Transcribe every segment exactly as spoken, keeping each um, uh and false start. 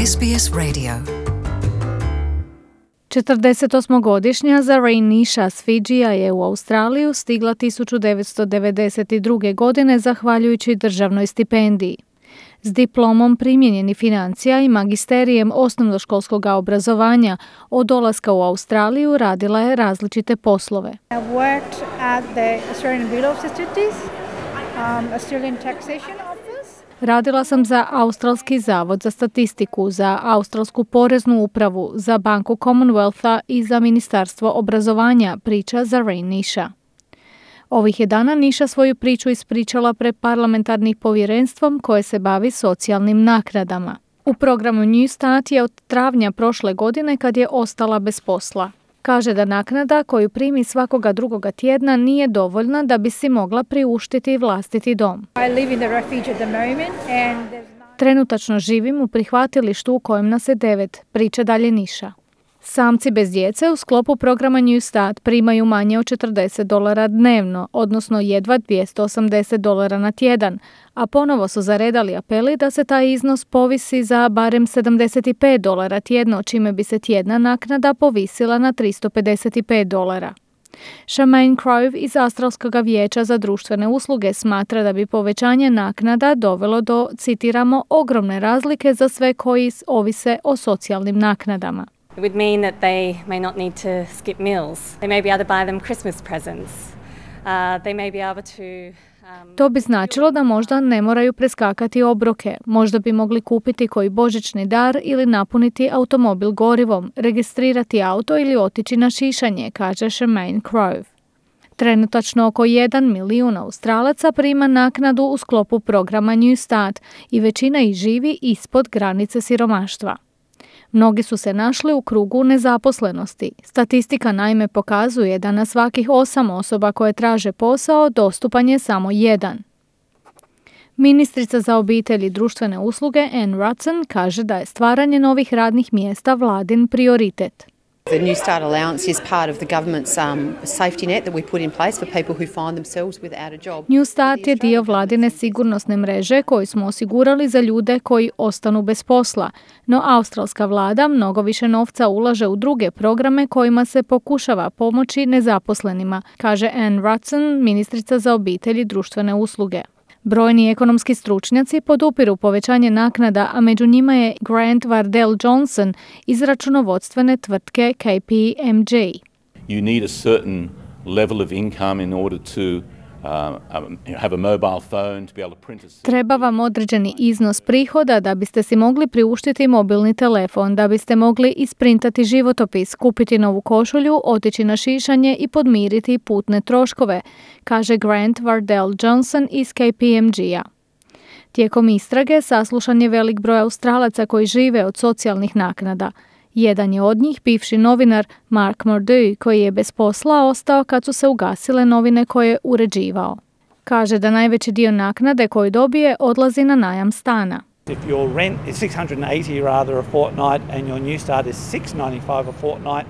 S B S Radio. četrdesetosmogodišnja Zareen Nisha s Fidžija je u Australiju stigla tisuću devetsto devedeset druge. godine zahvaljujući državnoj stipendiji. S diplomom primijenjenih financija i magisterijem osnovnoškolskog obrazovanja od dolaska u Australiju radila je različite poslove. I worked at the Australian Bureau of Statistics, um, Australian Taxation Office. Radila sam za Australski zavod za statistiku, za Australsku poreznu upravu, za Banku Commonwealtha i za Ministarstvo obrazovanja, priča Zareen Nisha. Ovih je dana Nisha svoju priču ispričala pred parlamentarnim povjerenstvom koje se bavi socijalnim naknadama. U programu New Start je od travnja prošle godine kad je ostala bez posla. Kaže da naknada koju primi svakoga drugoga tjedna nije dovoljna da bi si mogla priuštiti vlastiti dom. I live in the refuge at the moment and there's not... Trenutačno živim u prihvatilištu u kojem nas je devet, priča dalje Nisha. Samci bez djece u sklopu programa New Start primaju manje od četrdeset dolara dnevno, odnosno jedva dvjesto osamdeset dolara na tjedan, a ponovo su zaredali apeli da se taj iznos povisi za barem sedamdeset pet dolara tjedno, čime bi se tjedna naknada povisila na tristo pedeset pet dolara. Charmaine Crowe iz Australskog vijeća za društvene usluge smatra da bi povećanje naknada dovelo do, citiramo, ogromne razlike za sve koji ovise o socijalnim naknadama. It would mean that they may not need to skip meals. They may be able to buy them Christmas presents. Uh, they may be able to... Um, to bi značilo da možda ne moraju preskakati obroke, možda bi mogli kupiti koji božićni dar ili napuniti automobil gorivom, registrirati auto ili otići na šišanje, kaže Charmaine Crowe. Trenutačno oko jedan milijun Australaca prima naknadu u sklopu programa New Start i većina ih živi ispod granice siromaštva. Mnogi su se našli u krugu nezaposlenosti. Statistika naime pokazuje da na svakih osam osoba koje traže posao dostupan je samo jedan. Ministrica za obitelj i društvene usluge Anne Rutson kaže da je stvaranje novih radnih mjesta vladin prioritet. The New Start allowance is part of the government's um, safety net that we put in place for people who find themselves without a job. New Start je dio vladine sigurnosne mreže koju smo osigurali za ljude koji ostanu bez posla, no australska vlada mnogo više novca ulaže u druge programe kojima se pokušava pomoći nezaposlenima, kaže Anne Rutson, ministrica za obitelj i društvene usluge. Brojni ekonomski stručnjaci podupiru povećanje naknada, a među njima je Grant Wardell-Johnson iz računovodstvene tvrtke K P M G. You need a certain level of income in order to Uh, have a mobile phone to be able to print a... Treba vam određeni iznos prihoda da biste si mogli priuštiti mobilni telefon, da biste mogli isprintati životopis, kupiti novu košulju, otići na šišanje i podmiriti putne troškove, kaže Grant Wardell-Johnson iz K P M G-a. Tijekom istrage saslušan je velik broj Australaca koji žive od socijalnih naknada. Jedan je od njih bivši novinar Mark Murdoch, koji je bez posla ostao kad su se ugasile novine koje je uređivao. Kaže da najveći dio naknade koju dobije odlazi na najam stana. If your rent is six hundred eighty rather a fortnight and your New Start is six ninety-five a fortnight,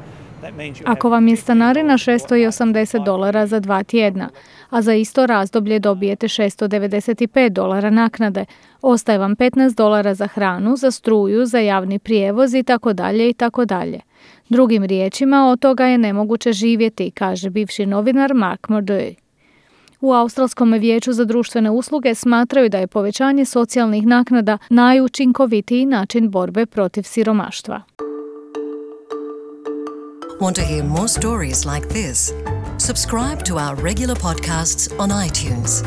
ako vam je stanarina šesto osamdeset dolara za dva tjedna, a za isto razdoblje dobijete šesto devedeset pet dolara naknade, ostaje vam petnaest dolara za hranu, za struju, za javni prijevoz i tako dalje i tako dalje. Drugim riječima, od toga je nemoguće živjeti, kaže bivši novinar Mark Murdoch. U Australskom vijeću za društvene usluge smatraju da je povećanje socijalnih naknada najučinkovitiji način borbe protiv siromaštva. Want to hear more stories like this? Subscribe to our regular podcasts on iTunes.